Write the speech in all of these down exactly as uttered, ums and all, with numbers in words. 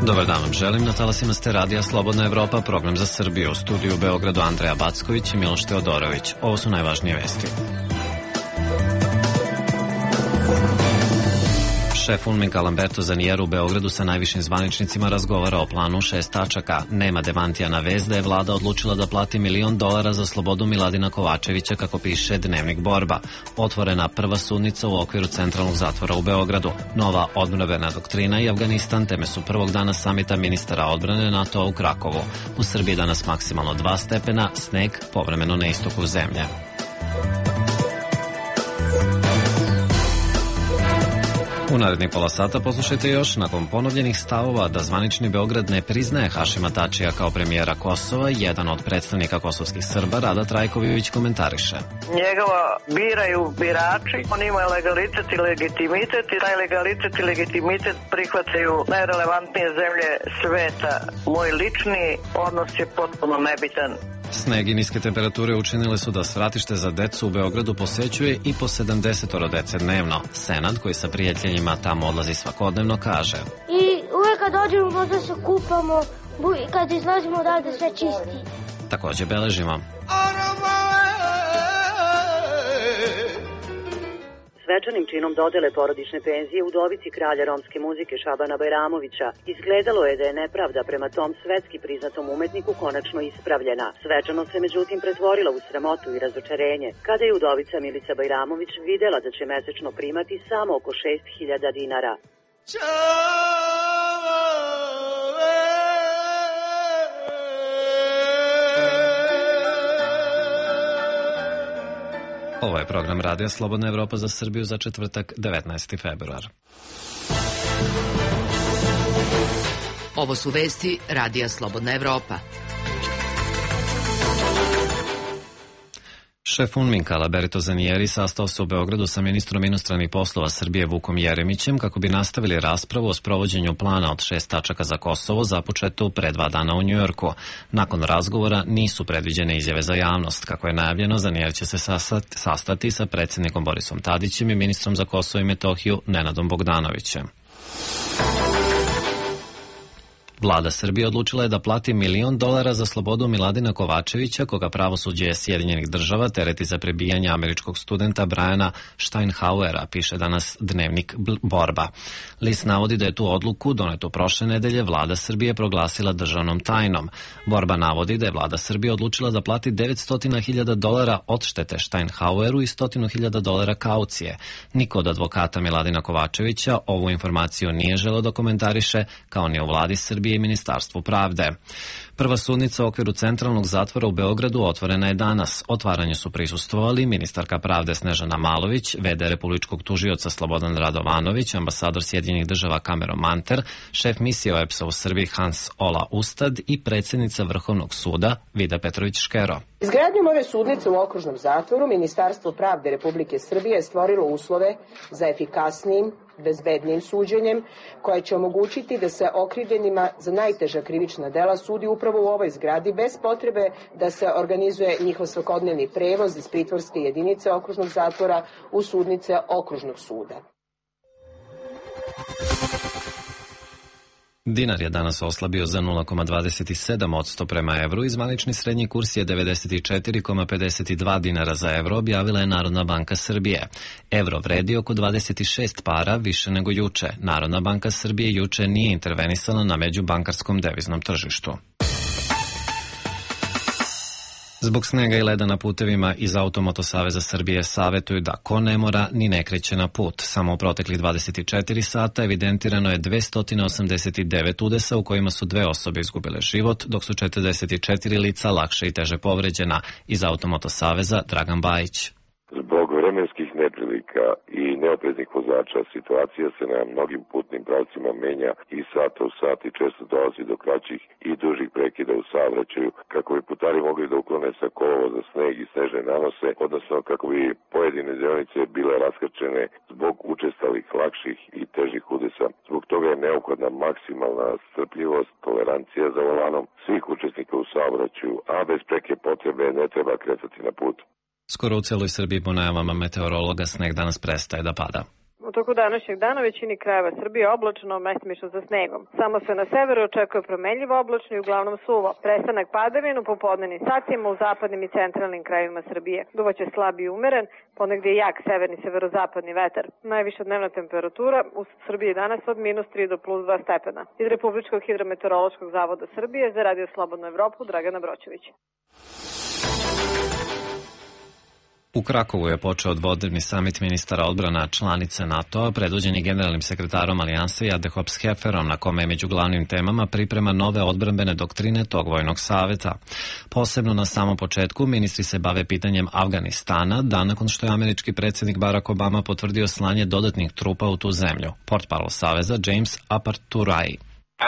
Dobar dan vam želim, na talasima ste radija Slobodna Evropa, program za Srbiju, u studiju u Beogradu Andreja Backović i Miloš Teodorović. Ovo su najvažnije vesti. Šef UNMIK Lamberto Zanier u Beogradu sa najvišim zvaničnicima razgovara o planu šest tačaka. Nema demantija na vest da je vlada odlučila da plati milion dolara za slobodu Miladina Kovačevića, kako piše Dnevnik Borba. Otvorena prva sudnica u okviru centralnog zatvora u Beogradu. Nova odbrambena doktrina i Afganistan teme su prvog dana samita ministara odbrane NATO u Krakovu. U Srbiji danas maksimalno dva stepena, sneg povremeno na istoku zemlje. U narednih pola sata poslušajte još, nakon ponovljenih stavova da zvanični Beograd ne priznaje Hašima Tačija kao premijera Kosova, jedan od predstavnika kosovskih Srba, Rada Trajković, komentariše. Njegova biraju birači, on ima legalitet i legitimitet i taj legalitet i legitimitet prihvataju najrelevantnije zemlje sveta. Moj lični odnos je potpuno nebitan. Sneg i niske temperature učinile su da svratište za decu u Beogradu posećuje i po sedamdesetoro dece dnevno. Senad, koji sa prijateljima tamo odlazi svakodnevno, kaže: I uvek kad dođemo možda se kupamo i kad izlazimo odavde sve čisti. Takođe beležimo. Svečanim činom dodele porodične penzije udovici kralja romske muzike Šabana Bajramovića izgledalo je da je nepravda prema tom svetski priznatom umetniku konačno ispravljena. Svečanost se međutim pretvorila u sramotu i razočarenje kada je udovica Milica Bajramović videla da će mesečno primati samo oko šest hiljada dinara. Ovo je program radija Slobodna Evropa za Srbiju za četvrtak, devetnaesti februar. Ovo su vesti radija Slobodna Evropa. Šef UNMIK-a Lamberto Zanieri sastao se u Beogradu sa ministrom inostranih poslova Srbije Vukom Jeremićem kako bi nastavili raspravu o sprovođenju plana od šest tačaka za Kosovo započeto pre dva dana u Njujorku. Nakon razgovora nisu predviđene izjave za javnost. Kako je najavljeno, Zanier će se sastati sa predsjednikom Borisom Tadićem i ministrom za Kosovo i Metohiju Nenadom Bogdanovićem. Vlada Srbije odlučila je da plati milion dolara za slobodu Miladina Kovačevića, koga pravosuđe Sjedinjenih država tereti za prebijanje američkog studenta Briana Steinhauera, piše danas Dnevnik Borba. List navodi da je tu odluku, donetu prošle nedelje, Vlada Srbije proglasila državnom tajnom. Borba navodi da je Vlada Srbije odlučila da plati devetsto hiljada dolara odštete Steinhaueru i sto hiljada dolara kaucije. Niko od advokata Miladina Kovačevića ovu informaciju nije želeo da komentariše, kao ni u Vladi Srbije i Ministarstvu pravde. Prva sudnica u okviru centralnog zatvora u Beogradu otvorena je danas. Otvaranju su prisustvovali ministarka pravde Snežana Malović, ve de republičkog tužioca Slobodan Radovanović, ambasador Sjedinjenih država Cameron Manter, šef misije O E P S-a u Srbiji Hans Ola Ustad i predsjednica Vrhovnog suda Vida Petrović Škero. Izgradnjom ove sudnice u okružnom zatvoru Ministarstvo pravde Republike Srbije je stvorilo uslove za efikasnijim, bezbednijim suđenjem, koje će omogućiti da se okrivljenima za najteža krivična dela sudi upravo u ovoj zgradi bez potrebe da se organizuje njihov svakodnevni prevoz iz pritvorske jedinice okružnog zatvora u sudnice okružnog suda. Dinar je danas oslabio za nula zarez dvadeset sedam posto prema evru i zvanični srednji kurs je devedeset četiri zarez pedeset dva dinara za evro, objavila je Narodna banka Srbije. Evro vredi oko dvadeset šest para više nego juče. Narodna banka Srbije juče nije intervenisala na međubankarskom deviznom tržištu. Zbog snega i leda na putevima iz Automoto Saveza Srbije savetuju da ko ne mora ni ne kreće na put. Samo u proteklih dvadeset četiri sata evidentirano je dvesta osamdeset devet udesa u kojima su dve osobe izgubile život, dok su četrdeset četiri lica lakše i teže povređena. Iz Automoto Saveza Dragan Bajić. Zbog vremenskih neprilika i neopreznih vozača situacija se na mnogim putnim pravcima menja i sata u sat i često dolazi do kraćih i dužih prekida u saobraćaju kako bi putari mogli da uklone sa kolovoza sneg i snežne nanose, odnosno kako bi pojedine deonice bile raskrčene zbog učestalih lakših i težih udesa. Zbog toga je neophodna maksimalna strpljivost, tolerancija za volanom svih učesnika u saobraćaju, a bez preke potrebe ne treba kretati na put. Skoro u celoj Srbiji po najavama meteorologa sneg danas prestaje da pada. U toku današnjeg dana većini krajeva Srbije oblačno, mestimično sa snegom. Samo se na severu očekuje promenljivo oblačno i uglavnom suvo. Prestanak padavina u popodnevnim satima u zapadnim i centralnim krajevima Srbije. Duvaće slab i umeren, ponegdje jak severni severozapadni vetar. Najviša dnevna temperatura u Srbiji danas od minus tri do plus dva stepena. Iz Republičkog hidrometeorološkog zavoda Srbije za Radio Slobodnu Evropu Dragana Broćević. U Krakovu je počeo dvodnevni samit ministara odbrana članice NATO-a, predvođeni generalnim sekretarom Alijanse Jadehop Skeferom, na kome je među glavnim temama priprema nove odbrambene doktrine tog vojnog saveta. Posebno na samom početku ministri se bave pitanjem Afganistana, dan nakon što je američki predsjednik Barack Obama potvrdio slanje dodatnih trupa u tu zemlju. Portparol saveza James Aparturai.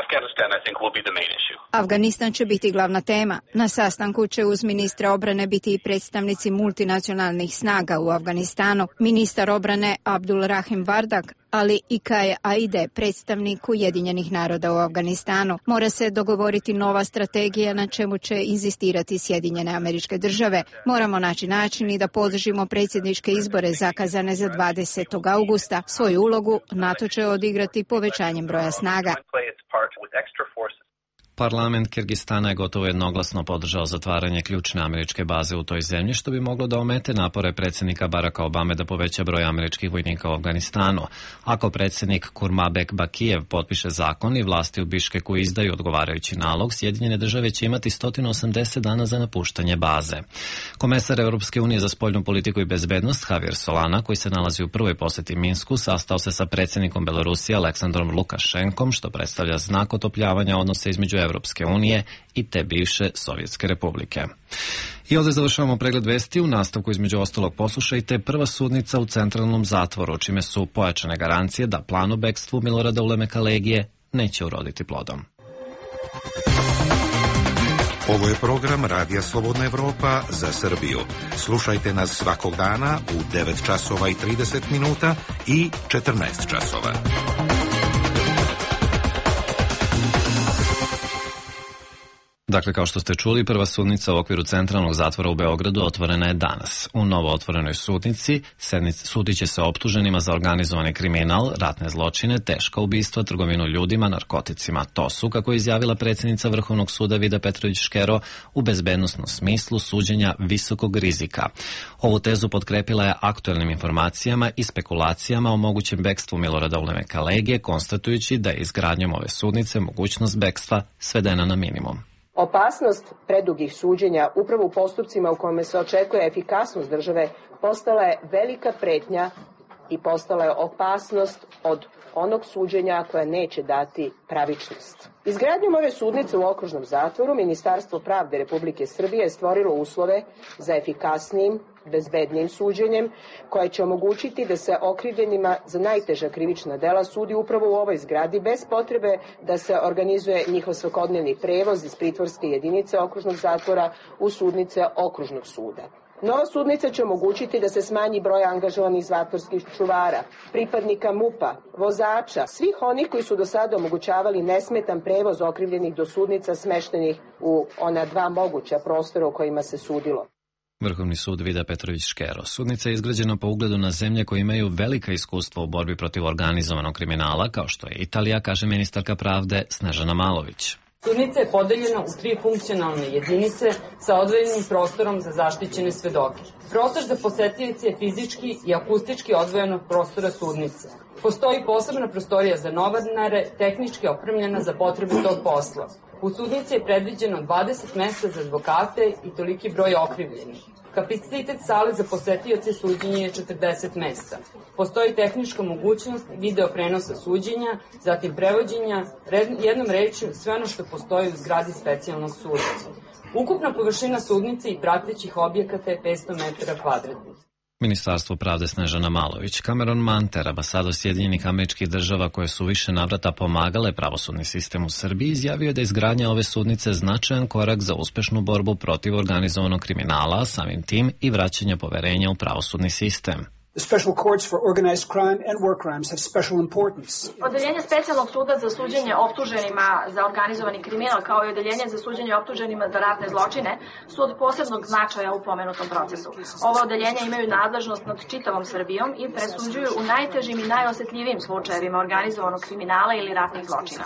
Afghanistan, I think, will be the main issue. Afganistan će biti glavna tema. Na sastanku će uz ministra obrane biti i predstavnici multinacionalnih snaga u Afganistanu, ministar obrane Abdul Rahim Vardak, ali i Kaje Aide, predstavnik Ujedinjenih naroda u Afganistanu. Mora se dogovoriti nova strategija na čemu će inzistirati Sjedinjene Američke Države. Moramo naći način i da podržimo predsjedničke izbore zakazane za dvadesetog augusta. Svoju ulogu NATO će odigrati povećanjem broja snaga. Parlament Kirgistana je gotovo jednoglasno podržao zatvaranje ključne američke baze u toj zemlji, što bi moglo da omete napore predsjednika Baracka Obame da poveća broj američkih vojnika u Afganistanu. Ako predsjednik Kurmabek Bakijev potpiše zakon i vlasti u Biškeku izdaju odgovarajući nalog, Sjedinjene države će imati sto osamdeset dana za napuštanje baze. Komesar Europske unije za spoljnu politiku i bezbednost Javier Solana, koji se nalazi u prvoj posjeti Minsku, sastao se sa predsjednikom Belorusije Aleksandrom Lukašenkom, što predstavlja znak otopljavanja odnosa između Europske unije i te bivše Sovjetske republike. I ovdje završavamo pregled vesti. U nastavku između ostalog poslušajte: prva sudnica u centralnom zatvoru, čime su pojačane garancije da plan o bekstvu Milorada Ulemeka Legije neće uroditi plodom. Ovo je program Radija Slobodna Evropa za Srbiju. Slušajte nas svakog dana u devet časova i trideset minuta i četrnaest časova. Dakle, kao što ste čuli, prva sudnica u okviru centralnog zatvora u Beogradu otvorena je danas. U novo otvorenoj sudnici sudit će se optuženima za organizovani kriminal, ratne zločine, teška ubistva, trgovinu ljudima, narkoticima. To su, kako je izjavila predsjednica Vrhovnog suda Vida Petrović Škero, u bezbednosnom smislu suđenja visokog rizika. Ovu tezu potkrepila je aktuelnim informacijama i spekulacijama o mogućem bekstvu Milorada Ulemeka Legije, konstatujući da je izgradnjom ove sudnice mogućnost bekstva svedena na minimum. Opasnost predugih suđenja upravo u postupcima u kojima se očekuje efikasnost države postala je velika pretnja i postala je opasnost od onog suđenja koje neće dati pravičnost. Izgradnjom ove sudnice u okružnom zatvoru Ministarstvo pravde Republike Srbije je stvorilo uslove za efikasnijim, bezbednijim suđenjem, koje će omogućiti da se okrivljenima za najteža krivična dela sudi upravo u ovoj zgradi, bez potrebe da se organizuje njihov svakodnevni prevoz iz pritvorske jedinice okružnog zatvora u sudnice okružnog suda. Nova sudnica će omogućiti da se smanji broj angažovanih zatvorskih čuvara, pripadnika MUP-a, vozača, svih onih koji su do sada omogućavali nesmetan prevoz okrivljenih do sudnica smeštenih u ona dva moguća prostora u kojima se sudilo. Vrhovni sud Vida Petrović Škero. Sudnica je izgrađena po ugledu na zemlje koje imaju velika iskustva u borbi protiv organizovanog kriminala, kao što je Italija, kaže ministarka pravde Snežana Malović. Sudnica je podeljena u tri funkcionalne jedinice sa odvojenim prostorom za zaštićene svedoke. Prostor za posetioce je fizički i akustički odvojen od prostora sudnice. Postoji posebna prostorija za novinare, tehnički opremljena za potrebe tog posla. U sudnici je predviđeno dvadeset mesta za advokate i toliki broj okrivljenih. Kapacitet sale za posetioce suđenja je četrdeset mesta. Postoji tehnička mogućnost video prenosa suđenja, zatim prevođenja, jednom rečju sve ono što postoji u zgradi specijalnog suda. Ukupna površina sudnice i pratećih objekata je petsto metara kvadratnih. Ministarstvo pravde Snežana Malović. Cameron Manter, ambasador Sjedinjenih Američkih Država koje su više navrata pomagale pravosudni sistem u Srbiji, izjavio je da je izgradnja ove sudnice značajan korak za uspešnu borbu protiv organizovanog kriminala, samim tim i vraćanja poverenja u pravosudni sistem. The special courts for organized crime and war crimes have special importance. Odeljenje specijalnog suda za suđenje optuženima za organizovani kriminal kao i odeljenje za suđenje optuženima za ratne zločine su od posebnog značaja u pomenutom procesu. Ova odeljenja imaju nadležnost nad čitavom Srbijom i presuđuju u najtežim i najosetljivijim slučajevima organizovanog kriminala ili ratnih zločina.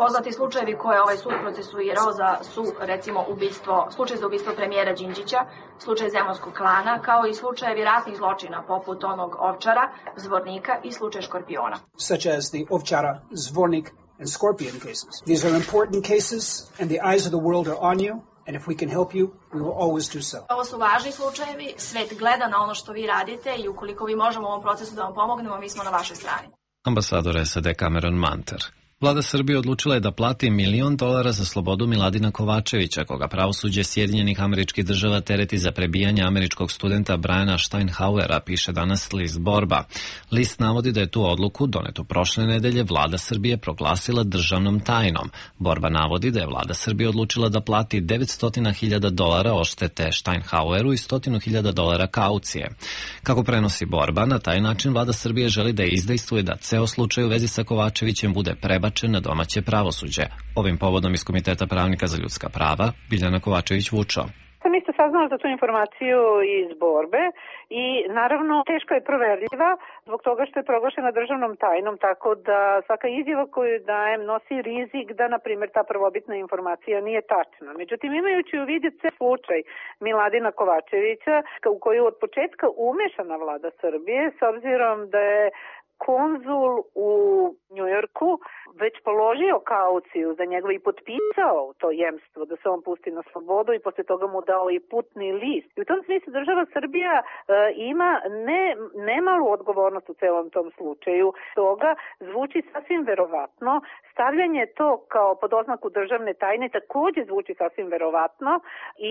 Poznati slučajevi koje ovaj sud procesuirao za su recimo ubistvo, slučaj za ubistvo premijera Đinđića, slučaj Zemunskog klana, kao i slučajevi ratnih zločina poput onog Ovčara, Zvornika i slučaj Škorpiona. Such as the Ovčara, Zvornik and Scorpion cases. These are important cases and the eyes of the world are on you. And if we can help you, we will always do so. Ovo su važni slučajevi, svet gleda na ono što vi radite i ukoliko vi možemo u ovom procesu da vam pomognemo, mi smo na vašoj strani. Ambasador S A D Cameron Manter. Vlada Srbije odlučila je da plati milion dolara za slobodu Miladina Kovačevića, koga pravosuđe Sjedinjenih Američkih Država tereti za prebijanje američkog studenta Briana Steinhauera, piše danas list Borba. List navodi da je tu odluku, donetu prošle nedelje, Vlada Srbije proglasila državnom tajnom. Borba navodi da je Vlada Srbije odlučila da plati devetsto hiljada dolara odštete Steinhaueru i sto hiljada dolara kaucije. Kako prenosi Borba, na taj način Vlada Srbije želi da izdejstvuje da ceo slučaj u vezi sa Kovačevićem bude prebačen na domaće pravosuđe. Ovim povodom iz Komiteta pravnika za ljudska prava Biljana Kovačević-Vučo. Sam isto saznala za tu informaciju iz Borbe i naravno teško je proverljiva zbog toga što je proglašena državnom tajnom, tako da svaka izjava koju dajem nosi rizik da, na primjer, ta prvobitna informacija nije tačna. Međutim, imajući u vidu slučaj Miladina Kovačevića u koju od početka umešana Vlada Srbije, s obzirom da je konzul u Njujorku već položio kauciju za njegov i potpisao to jemstvo da se on pusti na slobodu i posle toga mu dao i putni list. I u tom smislu država Srbija e, ima ne, nemalu odgovornost u celom tom slučaju. Toga zvuči sasvim verovatno. Stavljanje to kao pod oznaku državne tajne takođe zvuči sasvim verovatno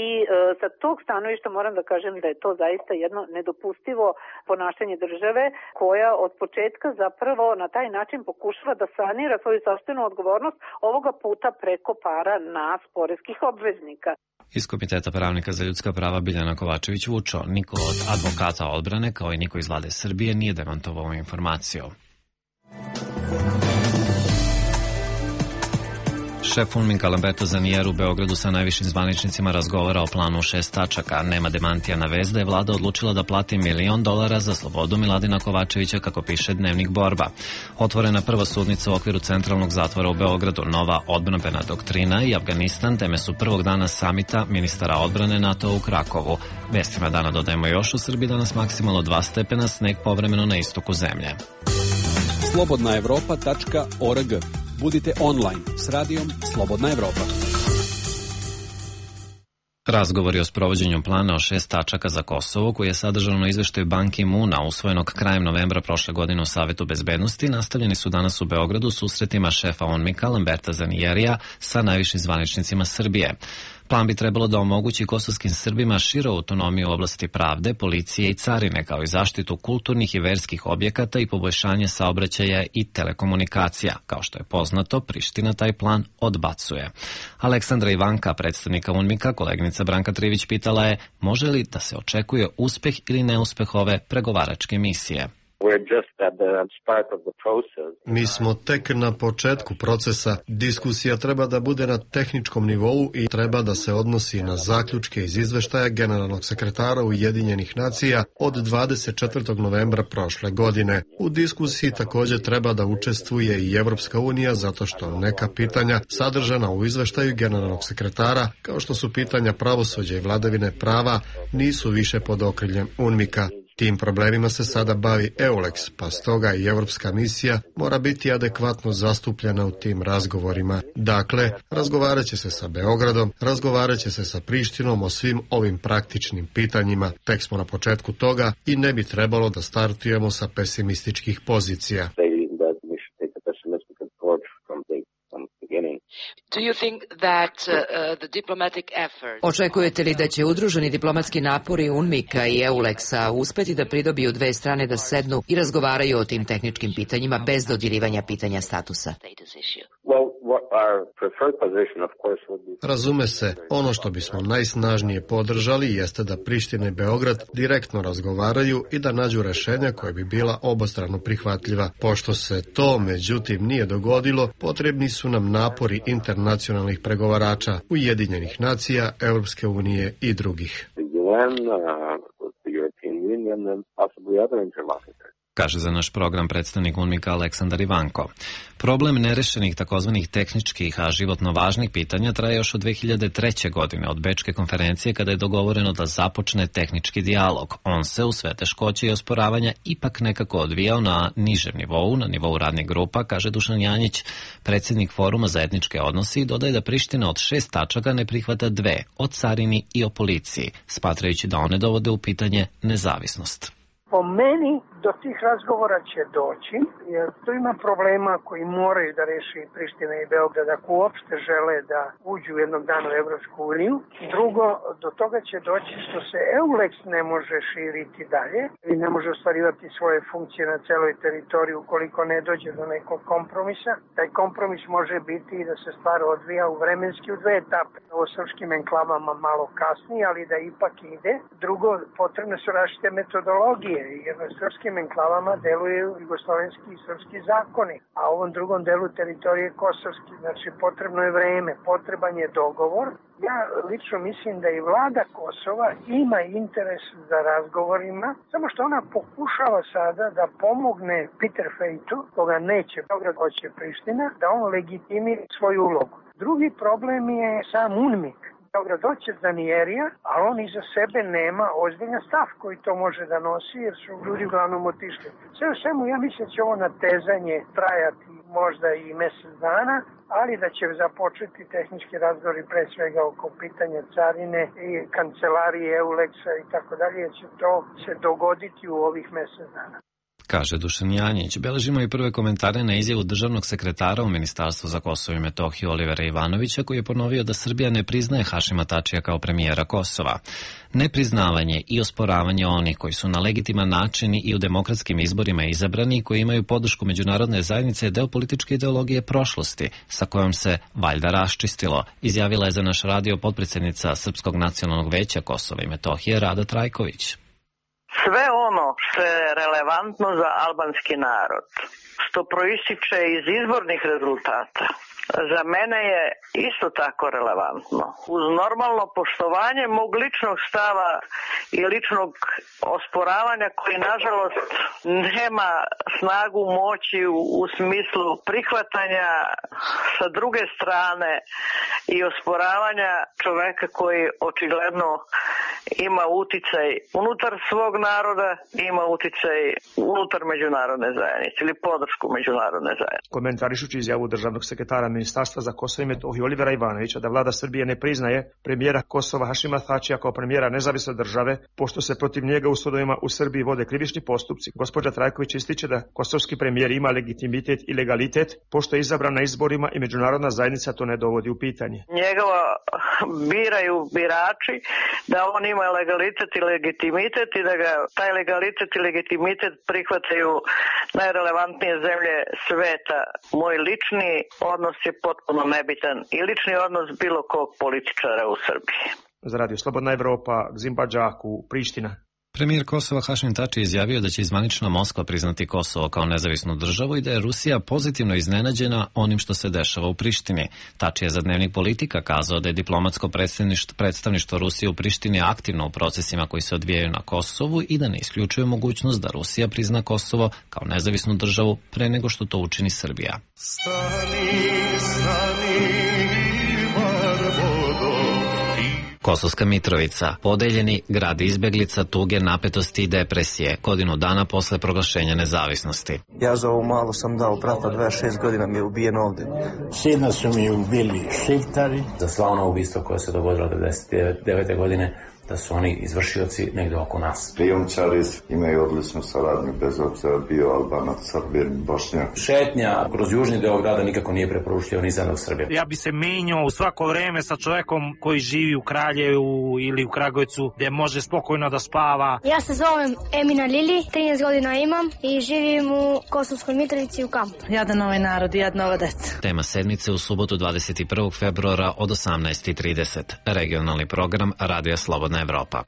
i e, sa tog stanovišta moram da kažem da je to zaista jedno nedopustivo ponašanje države koja od početka zapravo na taj način pokušava da sanira svoju sopstvenu odgovornost, ovoga puta preko para nas, poreskih obveznika. Iz Komiteta pravnika za ljudska prava Biljana Kovačević-Vučo, niko od advokata odbrane kao i niko iz Vlade Srbije nije demantovao informaciju. Šef UNMIK-a Lamberto Zanier u Beogradu sa najvišim zvaničnicima razgovara o planu u šest tačaka. Nema demantija na vest da je vlada odlučila da plati milion dolara za slobodu Miladina Kovačevića, kako piše Dnevnik Borba. Otvorena prva sudnica u okviru centralnog zatvora u Beogradu, nova odbrambena doktrina i Afganistan teme su prvog dana samita ministara odbrane NATO u Krakovu. Vestima dana dodajemo još: u Srbiji danas maksimalno dva stepena, sneg povremeno na istoku zemlje. slobodna evropa tačka org. Budite online s radijom Slobodna Evropa. Razgovori o sprovođenju plana o šest tačaka za Kosovo, koji je sadržan u izveštaju Ban Ki-moona usvojenog krajem novembra prošle godine u Savetu bezbednosti, nastavljeni su danas u Beogradu susretima šefa UNMIK-a Lamberta Zanierija sa najvišim zvaničnicima Srbije. Plan bi trebalo da omogući kosovskim Srbima širu autonomiju u oblasti pravde, policije i carine, kao i zaštitu kulturnih i verskih objekata i poboljšanje saobraćaja i telekomunikacija. Kao što je poznato, Priština taj plan odbacuje. Aleksandra Ivanka, predstavnika UNMIK-a, koleginica Branka Trivić pitala je može li da se očekuje uspeh ili neuspeh ove pregovaračke misije. Mi smo tek na početku procesa. Diskusija treba da bude na tehničkom nivou i treba da se odnosi na zaključke iz izveštaja generalnog sekretara Ujedinjenih nacija od dvadeset četvrtog novembra prošle godine. U diskusiji također treba da učestvuje i Evropska unija, zato što neka pitanja sadržana u izveštaju generalnog sekretara, kao što su pitanja pravosuđa i vladavine prava, nisu više pod okriljem UNMIK-a. Tim problemima se sada bavi EULEX, pa stoga i Evropska misija mora biti adekvatno zastupljena u tim razgovorima. Dakle, razgovarat će se sa Beogradom, razgovarat će se sa Prištinom o svim ovim praktičnim pitanjima. Tek smo na početku toga i ne bi trebalo da startujemo sa pesimističkih pozicija. Očekujete li da će udruženi diplomatski napori UNMIK-a i EULEX-a uspeti da pridobiju dve strane da sednu i razgovaraju o tim tehničkim pitanjima bez dodirivanja pitanja statusa? Razume se, ono što bismo najsnažnije podržali jeste da Priština i Beograd direktno razgovaraju i da nađu rešenja koja bi bila obostrano prihvatljiva. Pošto se to, međutim, nije dogodilo, potrebni su nam napori internacionalnih pregovarača, Ujedinjenih nacija, Europske unije i drugih. Kaže za naš program predstavnik UNMIK-a Aleksandar Ivanko. Problem nerešenih takozvanih tehničkih, a životno važnih pitanja traje još od dve hiljade treće. godine od Bečke konferencije kada je dogovoreno da započne tehnički dijalog. On se u sve teškoće i osporavanja ipak nekako odvijao na nižem nivou, na nivou radnih grupa, kaže Dušan Janjić, predsjednik Foruma za etničke odnose, i dodaje da Priština od šest tačaka ne prihvata dve, o carini i o policiji, smatrajući da one dovode u pitanje nezavisnost. Po meni do tih razgovora će doći, jer tu ima problema koji moraju da reši i Priština i Beograd ako uopšte žele da uđu jednog dana u Evropsku uniju. Drugo, do toga će doći što se EULEX ne može širiti dalje i ne može ostvarivati svoje funkcije na celoj teritoriji ukoliko ne dođe do nekog kompromisa. Taj kompromis može biti i da se stvar odvija u vremenski u dve etape. O srpskim enklavama malo kasnije, ali da ipak ide. Drugo, potrebne su različite metodologije, jer na srpskim enklavama deluju jugoslovenski i srpski zakoni, a u ovom drugom delu teritorije kosovski. Znači, potrebno je vreme, potreban je dogovor. Ja lično mislim da i vlada Kosova ima interes za razgovorima, samo što ona pokušava sada da pomogne Peter Fejtu, koga neće Beograd, hoće Priština, da on legitimira svoju ulogu. Drugi problem je sam UNMIK. Beograd hoće Danijerija, ali on iza sebe nema ozbiljan stav koji to može da nosi, jer su ljudi uglavnom otišli. Sve u svemu, ja mislim da će ovo natezanje trajati možda i mesec dana, ali da će započeti tehnički razgovori pre svega oko pitanja carine i kancelarije EULEX-a i tako dalje, jer će to se dogoditi u ovih mesec dana. Kaže Dušan Janjić. Beležimo i prve komentare na izjavu državnog sekretara u Ministarstvu za Kosovo i Metohiju Olivera Ivanovića, koji je ponovio da Srbija ne priznaje Hašima Tačija kao premijera Kosova. Nepriznavanje i osporavanje onih koji su na legitiman način i u demokratskim izborima izabrani i koji imaju podršku međunarodne zajednice je deo političke ideologije prošlosti, sa kojom se valjda raščistilo, izjavila je za naš radio potpredsjednica Srpskog nacionalnog veća Kosova i Metohije Rada Trajković. Sve ono što je relevantno za albanski narod, što proističe iz izbornih rezultata, za mene je isto tako relevantno. Uz normalno poštovanje mog ličnog stava i ličnog osporavanja koji nažalost nema snagu moći u, u smislu prihvatanja sa druge strane i osporavanja čoveka koji očigledno ima uticaj unutar svog naroda i ima uticaj unutar međunarodne zajednice ili podršku međunarodne zajednice. Komentarišući izjavu državnog sekretara Ministarstva za Kosovo i Metohiju Olivera Ivanovića da vlada Srbije ne priznaje premijera Kosova Hašima Tačija kao premijera nezavisne države, pošto se protiv njega u sudovima u Srbiji vode krivični postupci, gospođa Trajković ističe da kosovski premijer ima legitimitet i legalitet, pošto je izabran na izborima i međunarodna zajednica to ne dovodi u pitanje. Njegova biraju birači da on ima legalitet i legitimitet i da ga taj legalitet i legitimitet prihvataju najrelevantnije zemlje sveta. Moj lični odnos je potpuno nebitan i lični odnos bilo kog političara u Srbiji. Za Radio Slobodna Evropa, Gzimbađaku, Priština. Premijer Kosova Hašim Tači izjavio da će zvanična Moskva priznati Kosovo kao nezavisnu državu i da je Rusija pozitivno iznenađena onim što se dešava u Prištini. Tači je za Dnevnik Politika kazao da je diplomatsko predstavništvo Rusije u Prištini aktivno u procesima koji se odvijaju na Kosovu i da ne isključuje mogućnost da Rusija prizna Kosovo kao nezavisnu državu pre nego što to učini Srbija. Stani, stani. Kosovska Mitrovica, podeljeni grad izbeglica, tuge, napetosti i depresije, godinu dana posle proglašenja nezavisnosti. Ja za ovu malu sam dao brata, dvadeset šest godina mi je ubijen ovde. Sina su mi ubili Šiptari. Za sva ona ubistva koja se dogodila devedeset devete godine, da su oni izvršioci negde oko nas. Prijomčari imaju odličnu saradnju, bez obzira bio Albanac, Srbin, Bošnjak. Šetnja kroz južni deo grada nikako nije preporučljivo ni za nas Srbije. Ja bi se menjao u svako vreme sa čovekom koji živi u Kraljevu ili u Kragujevcu, gde može spokojno da spava. Ja se zovem Emina Lili, trinaest godina imam i živim u Kosovskoj Mitrovici u kampu. Jadan ovaj narod, jadna ova deca. Tema sedmice u subotu dvadeset prvog februara od osamnaest i trideset. Regionalni program Radija Slobodna Evropa.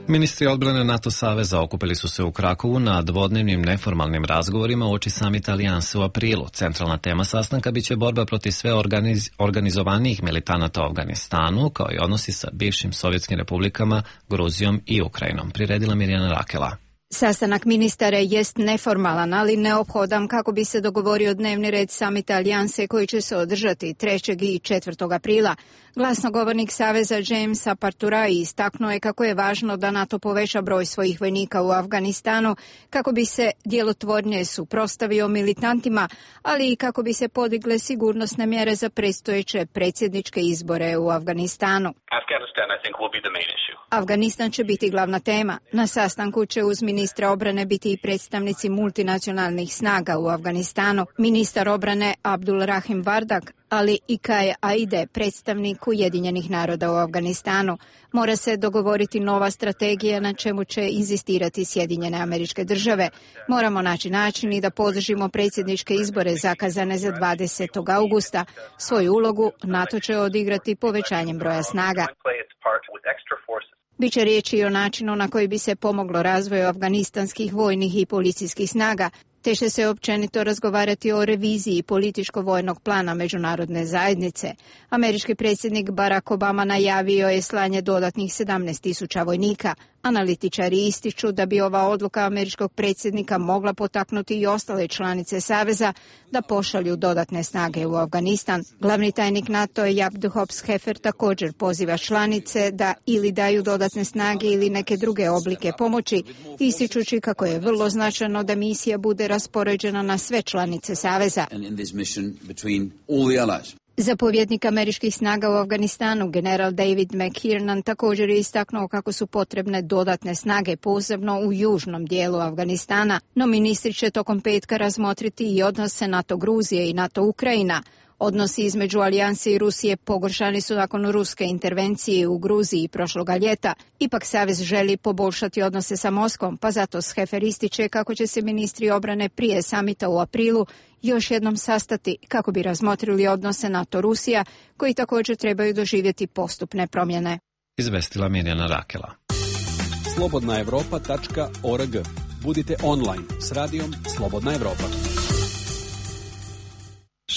Ministri odbrane NATO saveza okupili su se u Krakovu na dvodnevnim neformalnim razgovorima uoči samita Alijanse u aprilu. Centralna tema sastanka biće borba protiv sve organiz, organizovanijih militanata u Afganistanu, kao i odnosi sa bivšim sovjetskim republikama, Gruzijom i Ukrajinom. Priredila Mirjana Rakela. Sastanak ministara jest neformalan, ali neophodan kako bi se dogovorio dnevni red samita Alijanse koji će se održati trećeg i četvrtog aprila. Glasnogovornik Saveza James Aparturai istaknuo je kako je važno da NATO poveća broj svojih vojnika u Afganistanu kako bi se djelotvornije suprotstavio militantima, ali i kako bi se podigle sigurnosne mjere za predstojeće predsjedničke izbore u Afganistanu. Afghanistan, I think, will be the main issue. Afganistan će biti glavna tema. Na sastanku će uz ministra obrane biti i predstavnici multinacionalnih snaga u Afganistanu, ministar obrane Abdul Rahim Vardak, ali i Kaj Aide, predstavnik Ujedinjenih naroda u Afganistanu. Mora se dogovoriti nova strategija na čemu će inzistirati Sjedinjene Američke Države. Moramo naći način i da podržimo predsjedničke izbore zakazane za dvadesetog augusta. Svoju ulogu NATO će odigrati povećanjem broja snaga. Biće riječi i o načinu na koji bi se pomoglo razvoju afganistanskih vojnih i policijskih snaga, te će se općenito razgovarati o reviziji političko-vojnog plana međunarodne zajednice. Američki predsjednik Barack Obama najavio je slanje dodatnih sedamnaest tisuća vojnika. Analitičari ističu da bi ova odluka američkog predsjednika mogla potaknuti i ostale članice Saveza da pošalju dodatne snage u Afganistan. Glavni tajnik NATO Jaap de Hoop Scheffer također poziva članice da ili daju dodatne snage ili neke druge oblike pomoći, ističući kako je vrlo značajno da misija bude raspoređena na sve članice Saveza. Zapovjednik američkih snaga u Afganistanu, general David McKiernan, također je istaknuo kako su potrebne dodatne snage, posebno u južnom dijelu Afganistana, no ministri će tokom petka razmotriti i odnose NATO Gruzije i NATO Ukrajina. Odnosi između Alijanse i Rusije pogoršani su nakon ruske intervencije u Gruziji prošloga ljeta. Ipak Savez želi poboljšati odnose sa Moskvom, pa zato Scheffer ističe kako će se ministri obrane prije samita u aprilu još jednom sastati kako bi razmotrili odnose NATO-Rusija, koji također trebaju doživjeti postupne promjene. Izvestila Mirjana Rakela. slobodna evropa tačka org. Budite online s radijom Slobodna Evropa.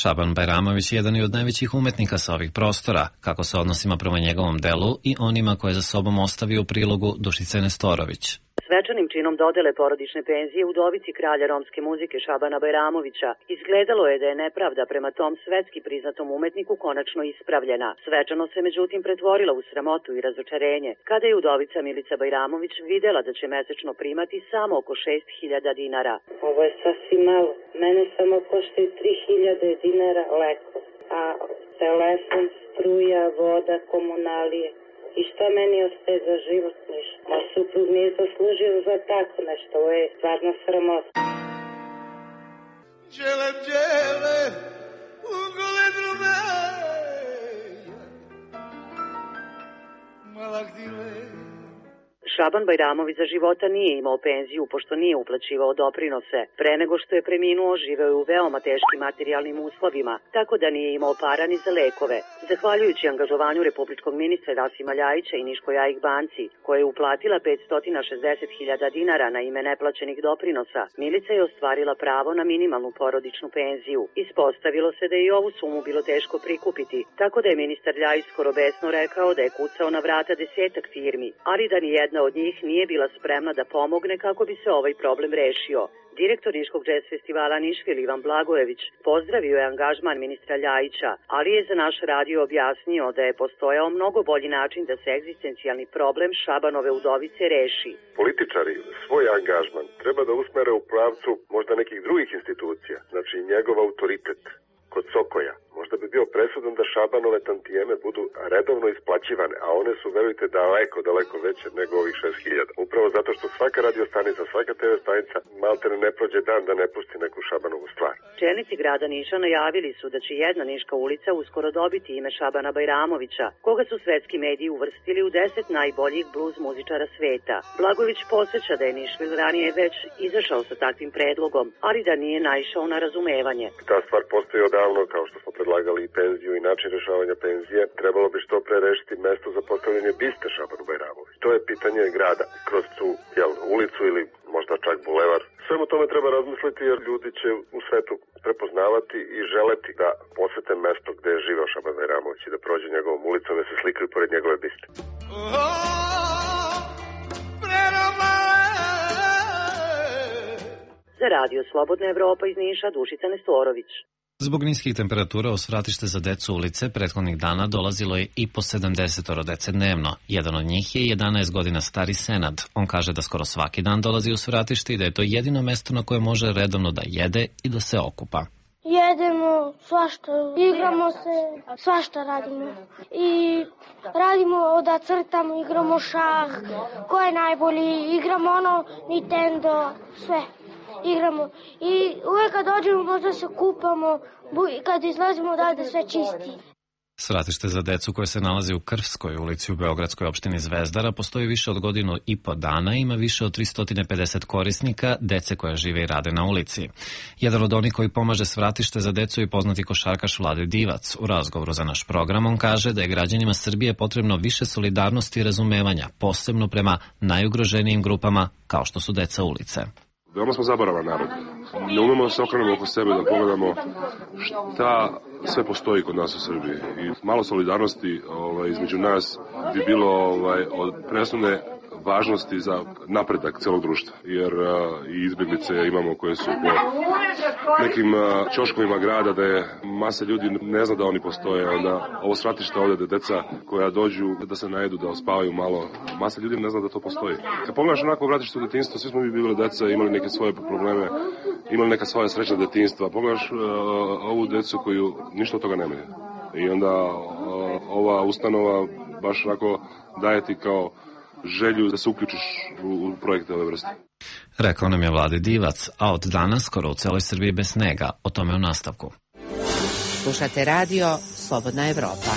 Šaban Bajramović je jedan od najvećih umetnika sa ovih prostora, kako se odnosima prema njegovom delu i onima koje za sobom ostavi u prilogu Dušice Nestorović. Svečanim činom dodele porodične penzije udovici kralja romske muzike Šabana Bajramovića izgledalo je da je nepravda prema tom svetski priznatom umetniku konačno ispravljena. Svečano se međutim pretvorila u sramotu i razočarenje kada je udovica Milica Bajramović videla da će mesečno primati samo oko šest hiljada dinara. Ovo je sasvim malo. Mene samo koštaju tri hiljade dinara leko, a telefon, struja, voda, komunalije. I šta meni ostaje za život? Ništa. A suprug nije zaslužio za tako nešto. Ovo je stvarno sramota. Džele, džele, ugole drume, malak dile. Šaban Bajramović za života nije imao penziju pošto nije uplaćivao doprinose. Pre nego što je preminuo, živeo je u veoma teškim materijalnim uslovima, tako da nije imao para ni za lekove. Zahvaljujući angažovanju republičkog ministra Rasima Ljajića i Niškoj A I K banci, koja je uplatila petsto šezdeset hiljada dinara na ime neplaćenih doprinosa, Milica je ostvarila pravo na minimalnu porodičnu penziju. Ispostavilo se da je i ovu sumu bilo teško prikupiti, tako da je ministar Ljajić skoro besno rekao da je kucao na vrata desetak firmi, ali da ni jedna od njih nije bila spremna da pomogne kako bi se ovaj problem rešio. Direktor Niškog džez festivala Nišvil Ivan Blagojević pozdravio je angažman ministra Ljajića, ali je za naš radio objasnio da je postojao mnogo bolji način da se egzistencijalni problem Šabanove udovice reši. Političari svoj angažman treba da usmere u pravcu možda nekih drugih institucija, znači njegov autoritet kod Sokoja. Možda bi bio presudan da Šabanove tantijeme budu redovno isplaćivane, a one su, verujte, daleko, daleko veće nego ovih šest hiljada. Upravo zato što svaka radio stanica, svaka te ve stanica malte ne prođe dan da ne pusti neku Šabanovu stvar. Čelnici grada Niša najavili su da će jedna niška ulica uskoro dobiti ime Šabana Bajramovića, koga su svetski mediji uvrstili u deset najboljih bluz muzičara sveta. Blagojević podsjeća da je Nišvil ranije već izašao sa takvim predlogom, ali da nije naišao na razumevanje. Ta stvar postoji odavno, kao što smo predlagali i penziju i način rešavanja penzije. Trebalo bi što pre rešiti mesto za postavljanje biste Šabanu Bajramoviću. To je pitanje grada kroz tu jel, ulicu ili možda čak bulevar. Svemu tome treba razmisliti jer ljudi će u svetu prepoznavati i želeti da posete mesto gde je živeo Šaban Bajramović i da prođe njegovom ulicom da se slikaju pored njegove biste. Za Radio Slobodna Evropa iz Niša, Dušica Nestorović. Zbog niskih temperatura u svratište za decu ulice prethodnih dana dolazilo je i po sedamdeset dece dnevno. Jedan od njih je jedanaest godina stari Senad. On kaže da skoro svaki dan dolazi u svratište i da je to jedino mesto na koje može redovno da jede i da se okupa. Jedemo svašta, igramo se, svašta radimo. I radimo da crtamo, igramo šah, ko je najbolji, igramo ono Nintendo, sve. Igramo i uvek kad dođemo možda se kupamo i kad izlazimo odavde sve čisti. Svratište za decu koje se nalazi u Krvskoj ulici u beogradskoj opštini Zvezdara postoji više od godinu i po dana i ima više od tristo pedeset korisnika, dece koja žive i rade na ulici. Jedan od onih koji pomaže Svratište za decu je poznati košarkaš Vlade Divac. U razgovoru za naš program on kaže da je građanima Srbije potrebno više solidarnosti i razumevanja, posebno prema najugroženijim grupama kao što su deca ulice. Veoma smo zaboravan narod. Ne umemo da se okrenemo oko sebe, da pogledamo šta sve postoji kod nas u Srbiji. I malo solidarnosti ovaj, između nas bi bilo ovaj, od presudne važnosti za napredak celog društva. Jer uh, i izbjeglice imamo koje su po nekim uh, ćoškovima grada da je masa ljudi ne zna da oni postoje. Onda ovo svratište ovde da deca koja dođu da se najedu, da ospavaju malo, masa ljudi ne zna da to postoji. Kad pogledaš onako vratište u detinjstvo, svi smo mi bili deca, imali neke svoje probleme, imali neka svoja srećna detinjstva. Pogledaš uh, ovu decu koju ništa od toga nemaju. I onda uh, ova ustanova baš onako daje ti kao želju da se uključiš u, u projekte ove vrste. Rekao nam je Vlade Divac, a od danas skoro u celoj Srbiji bez snega. O tome u nastavku. Slušate radio Slobodna Evropa.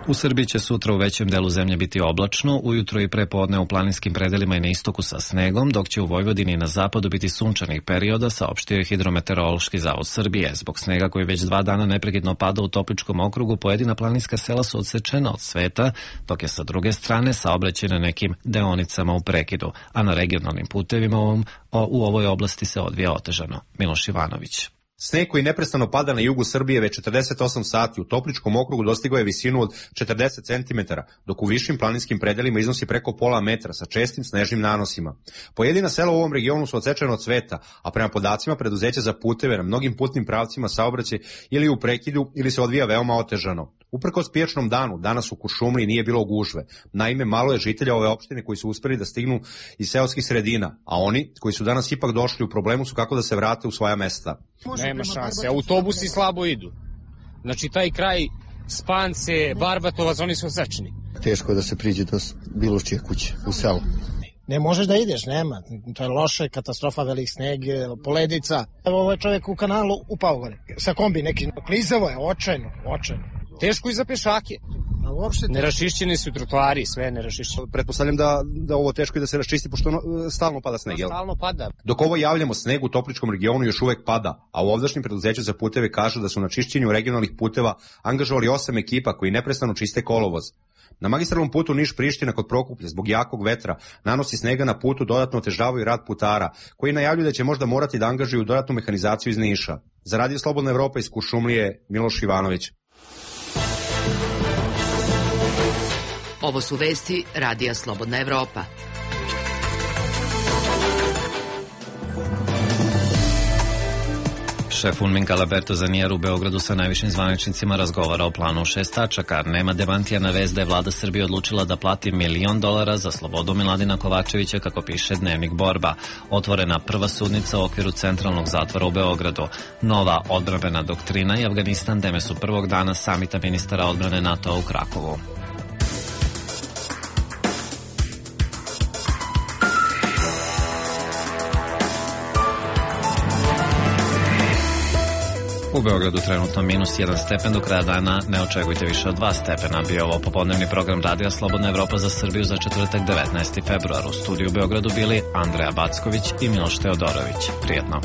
U Srbiji će sutra u većem delu zemlje biti oblačno, ujutro i prepodne u planinskim predelima i na istoku sa snegom, dok će u Vojvodini i na zapadu biti sunčanih perioda, saopštio je Hidrometeorološki zavod Srbije. Zbog snega koji već dva dana neprekidno pada u Topličkom okrugu, pojedina planinska sela su odsečena od sveta, dok je sa druge strane saobraćaj na nekim deonicama u prekidu, a na regionalnim putevima u, u ovoj oblasti se odvija otežano. Miloš Ivanović. Sneg koji neprestano pada na jugu Srbije već četrdeset osam sati u Topličkom okrugu dostigao je visinu od četrdeset centimetara, dok u višim planinskim predelima iznosi preko pola metra sa čestim snežnim nanosima. Pojedina sela u ovom regionu su odsečena od sveta, a prema podacima preduzeća za puteve na mnogim putnim pravcima saobraćaj ili u prekidu ili se odvija veoma otežano. Uprkos pijačnom danu, danas u Kuršumliji nije bilo gužve. Naime, malo je žitelja ove opštine koji su uspeli da stignu iz seoskih sredina, a oni koji su danas ipak došli u problemu su kako da se vrate u svoja mesta. Nema šanse, autobusi slabo idu. Znači, taj kraj Spance, Barbatovac, oni su odsečeni. Teško je da se priđe do bilo čije kuće u selu. Ne možeš da ideš, nema. To je loše, katastrofa, velik sneg, poledica. Evo ovaj čovjek u kanalu upao gore. Sa kombi neki. Klizavo je, očajno, očajno. Teško i za pešake. Nerašišćeni su trotoari, sve nerašišćeni. Pretpostavljam da, da ovo teško i da se raščisti, pošto stalno pada sneg, jel? Stalno pada. Dok ovo javljamo, sneg u Topličkom regionu još uvek pada, a u ovdašnjem preduzeću za puteve kažu da su na čišćenju regionalnih puteva angažovali osam ekipa koji neprestano čiste kolovoz. Na magistralnom putu Niš-Priština kod Prokuplja zbog jakog vetra nanosi snega na putu dodatno otežavaju rad putara, koji najavljuju da će možda morati da angažuju dodatnu mehanizaciju iz Niša. Za Radio Slobodna Evropa iz Kuršumlije, Miloš Ivanović. Ovo su vesti Radija Slobodna Evropa. Šef UNMIK-a Alberto Zanier u Beogradu sa najvišim zvaničnicima razgovara o planu šest tačaka. Nema demantija na vest da je vlada Srbije odlučila da plati milion dolara za slobodu Miladina Kovačevića, kako piše Dnevnik Borba. Otvorena prva sudnica u okviru centralnog zatvora u Beogradu. Nova odbrambena doktrina i Afganistan teme su prvog dana samita ministara odbrane NATO-a u Krakovu. U Beogradu trenutno minus jedan stepen, do kraja dana ne očekujte više od dva stepena. Bio ovo popodnevni program Radija Slobodna Evropa za Srbiju za četvrtak devetnaesti februar. U studiju u Beogradu bili Andreja Backović i Miloš Teodorović. Prijetno.